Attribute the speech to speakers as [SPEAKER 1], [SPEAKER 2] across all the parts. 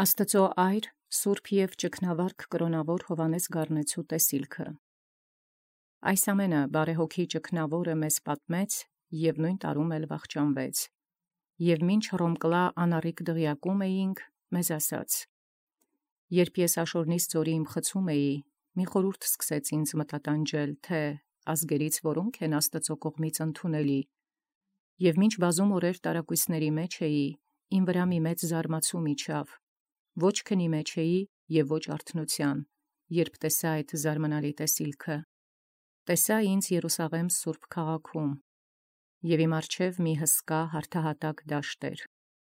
[SPEAKER 1] Աստծո այր, Սուրբ և ճգնավարք կրոնավոր Հովհաննես Գառնեցու տեսիլքը։ Այս ամենը բարեհոգի ճգնավորը մեզ պատմեց և նույն տարում էլ վախճանվեց։ Եվ մինչ Հռոմկլա անառիկ դղյակում էինք, մեզ ասաց. երբ ես աշորնից ձորի խցում էի, մի խորհուրդ սկսեց ինձ մտատանջել, թե ազգերից որոնք են Աստծո կողմից ընդունելի, և մինչ բազում օրեր տարակույսների մեջ էի, իմ վրա մի մեծ զարմացում իջավ, ոչ քնի մեջ էի և ոչ արթնության, երբ տեսա այդ զարմանալի տեսիլքը, տեսա ինձ Երուսաղեմ սուրբ քաղաքում, և իմ առջև մի հսկա հարթահատակ դաշտ էր,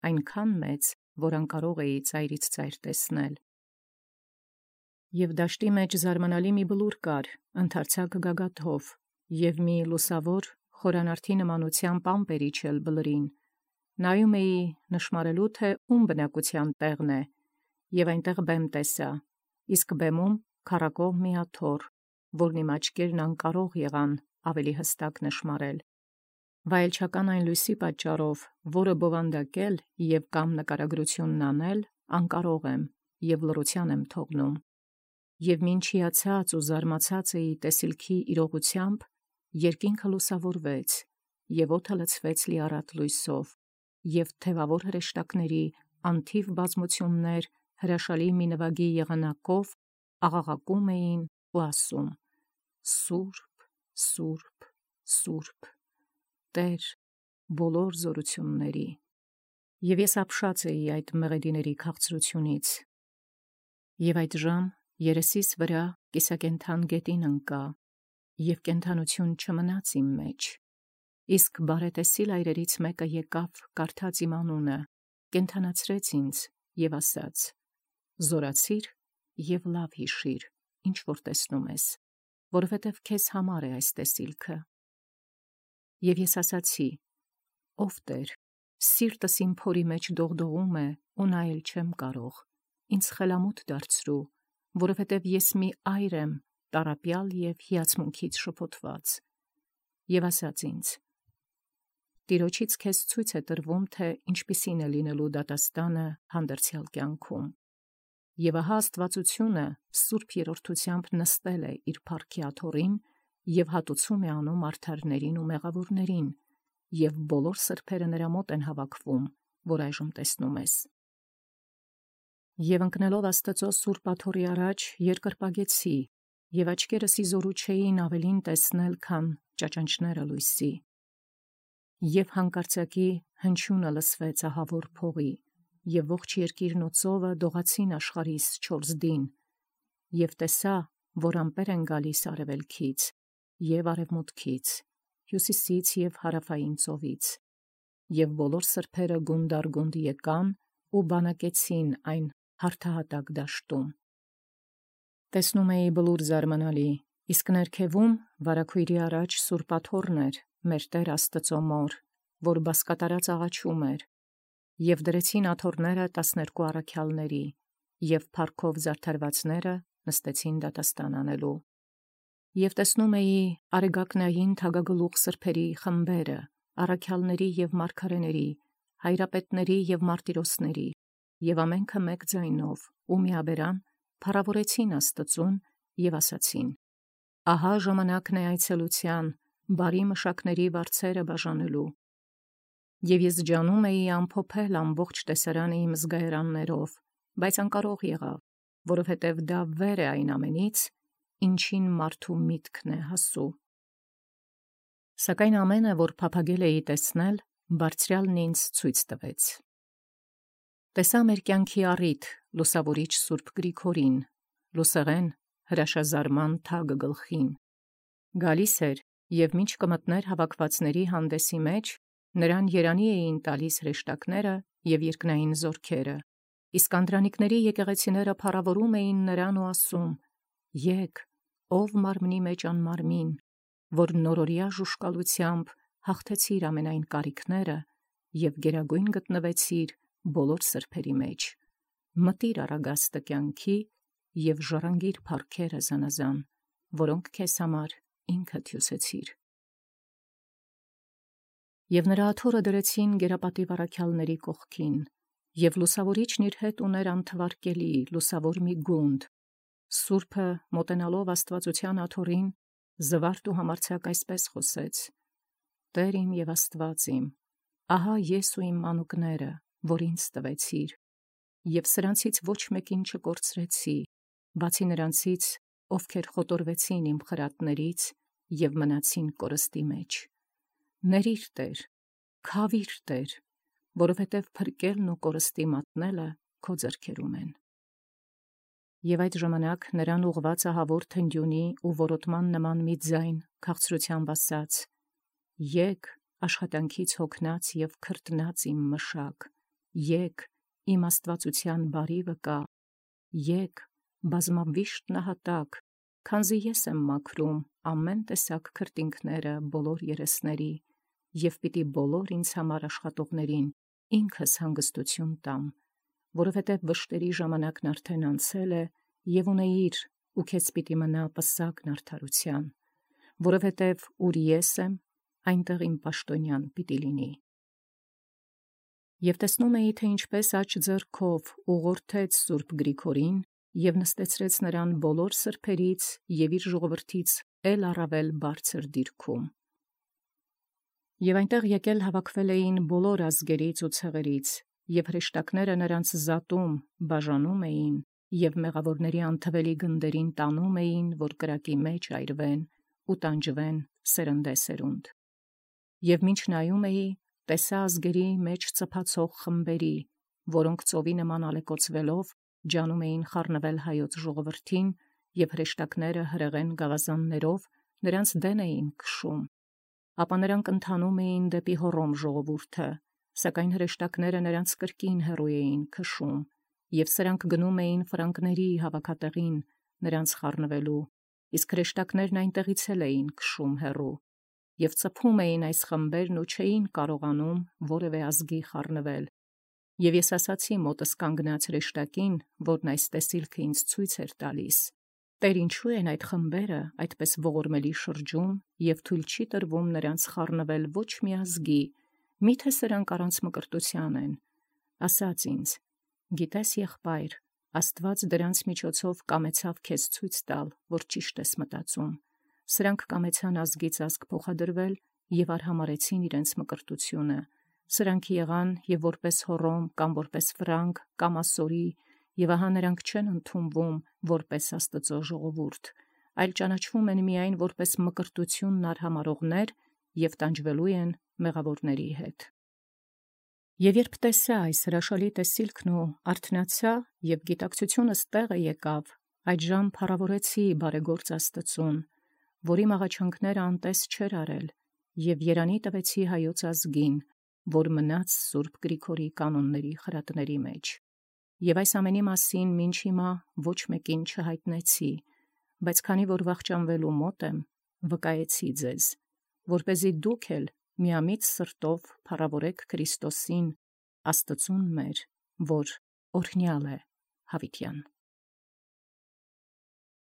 [SPEAKER 1] այնքան մեծ, որ անկարող էի ծայրից ծայր տեսնել։ Եվ դաշտի մեջ զարմանալի մի բլուր կար, ընդարձակ գագաթով, և մի լուսավոր խորանարդի նմանությամբ ամպեր իջել բլրին, նայում էի նշմարելու, թե ում բնակության տեղն է, և այնտեղ բեմ տեսա, իսկ բեմում քառակող մի աթոռ, որն իմ աչքերն անկարող եղան ավելի հստակ նշմարել, վայելչական այն լույսի պատճառով, որը բովանդակել և կամ նկարագրությունն անել, անկարող եմ և լռության եմ թողնում, և մինչ հիացած ու զարմացած էի տեսիլքի իրողությամբ, երկինքը լուսավորվեց, և օդը լցվեց լիառատ լույսով, և թևավոր հրեշտակների անթիվ բազմություններ հրաշալի մի նվագի եղանակով աղաղակում էին ու ասում. «Սուրբ, Սուրբ, Սուրբ, Տեր բոլոր զորությունների»։ Եվ ես ապշած էի այդ մեղեդիների քաղցրությունից, և այդ ժամ երեսիս վրա կիսակենդան գետին ընկա, և կենդանություն չմնաց իմ մեջ, իսկ բարետեսիլ այրերից մեկը եկավ, կարդաց իմ անունը, կենդանացրեց ինձ և ասաց. «Զորացիր և լավ հիշիր, ինչ որ տեսնում ես, որովհետև քեզ համար է այս տեսիլքը»։ Եվ ես ասացի. «Ով Տեր, սիրտս իմ փորի մեջ դողդողում է ու նայել չեմ կարող, ինձ խելամուտ դարձրու, որովհետև ես մի այր եմ տառապյալ և հիացմունքից շփոթված»։ Եվ ասաց ինձ. «Տիրոջից քեզ ցույց է տրվում, թե ինչպիսին է լինելու դատաստանը հանդերձյալ կյանքում։ Եվ ահա աստվածությունը սուրբ երրորդությամբ նստել է իր փառքի աթոռին և հատուցում է անում արդարներին ու մեղավորներին, և բոլոր սրբերը նրա մոտ են հավաքվում, որ այժմ տեսնում ես»։ Եվ ընկնելով Աստծո սուրբ աթոռի առաջ երկրպագեցի, և աչքերս իզորու չէին ավելին տեսնել, քան ճաճանճները լույսի։ Եվ հանկարծակի հնչյունը լսվեց ահավոր փողի, և ողջ երկիրն ու ծովը դողացին աշխարհիս չորսդին, և տեսա, որ ամպեր են գալիս արևելքից և արևմուտքից, հյուսիսից և հարավային ծովից, և բոլոր սրբերը գունդ եկան ու բանակեցին այն հարթահատակ դաշտում։ Տեսնում էի բլուր զարմանալի, իսկ ներքևում վարագույրի առաջ սուրբ աթոռն էր մեր Տեր Աստծո մոր, որ բազկատարած աղաչում էր, և դրեցին աթոռները 12 առաքյալների, և փառքով զարդարվածները նստեցին դատաստան անելու։ Եվ տեսնում էի արեգակնային թագագլուխ սրբերի խմբերը, առաքյալների և մարգարեների, հայրապետների և մարտիրոսների, և ամենքը մեկ ձայնով ու միաբերան փառավորեցին Աստծուն և ասացին. «Ահա ժամանակն է այցելության, բարի մշակների վարձերը բաժանելու»։ Եվ ես ջանում էի ամփոփել ամբողջ տեսարանը իմ զգայարաններով, բայց անկարող եղա, որովհետև դա վեր է այն ամենից, ինչին մարդու միտքն է հասու։ Սակայն ամենը, որ փափագել էի տեսնել, բարձրյալն ինձ ցույց տվեց։ Տեսա մեր կյանքի առիթ լուսավորիչ Սուրբ Գրիգորին, լուսեղեն հրաշազարման թագ գլխին։ Գալիս էր և մինչ կմտներ հավաքվածների հանդեսի մեջ, նրան երանի էին տալիս հրեշտակները և երկնային զորքերը, իսկ անդրանիկների եկեղեցիները փառավորում էին նրան ու ասում. «Եկ, ով մարմնի մեջ անմարմին, որ նորորյա ժուշկալությամբ հաղթեցիր ամենայն կարիքները և գերագույն գտնվեցիր բոլոր սրբերի մեջ, մտիր առագաստը կյանքի և ժառանգիր փառքերը զանազան, որոնք քեզ համար ինքդ հյուսեցիր»։ Եվ նրա աթոռը դրեցին գերապատիվ առաքյալների կողքին, Եվ լուսավորիչն իր հետ ուներ անթվարկելի, լուսավոր մի գունդ, Սուրբը մոտենալով Աստվածության աթոռին, զվարթ ու համարձակ այսպես խոսեց. «Տեր իմ և Աստված իմ, ահա ես ու իմ մանուկները, որ ինձ տվեցիր, և սրանցից ոչ մեկին չկորցրեցի, բացի նրանցից, ովքեր խոտորվեցին իմ խրատներից և մնացին կորստի մեջ։ Ներիր, Տեր, քավիր, Տեր, որովհետև փրկելն ու կորստի մատնելը քո ձեռքերում են»։ Եվ այդ ժամանակ նրան ուղղված ահավոր թնդյունի ու որոտման նման մի ձայն քաղցրությամբ ասաց. «Եկ, աշխատանքից հոգնած և քրտնած իմ մշակ, եկ, իմ աստվածության բարի վկա, եկ, բազմավիշտ նահատակ, քանզի ես եմ մաքրում ամեն տեսակ քրտինքները բոլոր երեսների, և պիտի բոլոր ինձ համար աշխատողներին ինքս հանգստություն տամ, որովհետև վշտերի ժամանակն արդեն անցել է, և ունեիր, ու քեզ պիտի մնա պսակն արդարության, որովհետև ուր ես եմ, այնտեղ իմ պաշտոնյան պիտի լինի»։ Եվ տեսնում էի, թե ինչպես աջ ձեռքով ուղղորդեց Սուրբ Գրիգորին և նստեցրեց նրան բոլոր սրբերից և իր ժողովրդից էլ առավել բարձր դիրքում։ Եվ այնտեղ եկել հավաքվել էին բոլոր ազգերից ու ցեղերից, և հրեշտակները նրանց զատում, բաժանում էին, և մեղավորների անթվելի գնդերին տանում էին, որ կրակի մեջ այրվեն ու տանջվեն սերնդեսերունդ։ Եվ մինչ նայում էի, տեսա ազգերի մեջ ծփացող խմբերի, որոնք ծովի նման ալեկոծվելով ջանում էին խառնվել հայոց ժողովրդին, և հրեշտակները հրեղեն գավազաններով նրանց դեն էին քշում։ Ապա նրանք ընթանում էին դեպի Հոռոմ ժողովուրդը, սակայն հրեշտակները նրանց կրկին հեռու էին քշում, և սրանք գնում էին ֆրանկների հավաքատեղին նրանց խառնվելու, իսկ հրեշտակներն այնտեղից էլ էին քշում հեռու, և ծփում էին այս խմբերն ու չէին կարողանում որևէ ազգի խառնվել։ Եվ ես ասացի մոտս կանգնած հրեշտակին, որն այս տեսիլքը ինձ ցույց էր տալիս. «Տեր, ինչու են այդ խմբերը այդպես ողորմելի շրջում, և թույլ չի տրվում նրանց խառնվել ոչ մի ազգի, միթե սրանք առանց մկրտության են»։ Ասաց ինձ. «Գիտես, եղբայր, Աստված դրանց միջոցով կամեցավ քեզ ցույց տալ, որ ճիշտ ես մտածում։ Սրանք կամեցան ազգից ազգ փոխադրվել և արհամարհեցին իրենց մկրտությունը։ Սրանք եղան և որպես Հոռոմ, կամ որպես Ֆրանկ, կամ Ասորի, և ահա նրանք չեն ընդունվում որպես Աստծո ժողովուրդ, այլ ճանաչվում են միայն որպես մկրտությունն արհամարհողներ և տանջվելու են մեղավորների հետ»։ Եվ երբ տեսա այս հրաշալի տեսիլքն ու արթնացա, և գիտակցությունս տեղը եկավ, այդժամ փառավորեցի բարեգործ Աստծուն, որ իմ աղաչանքները անտես չէր արել, և երանի տվեցի հայոց ազգին, որ մնաց Սուրբ Գրիգորի կանոնների խրատների մեջ։ Եվ այս ամենի մասին մինչ հիմա ոչ մեկին չհայտնեցի, բայց քանի որ վախճանվելու մոտ եմ, վկայեցի ձեզ, որպեսզի դուք էլ միամիտ սրտով փառավորեք Քրիստոսին, Աստծուն մեր, որ օրհնյալ է հավիտյան։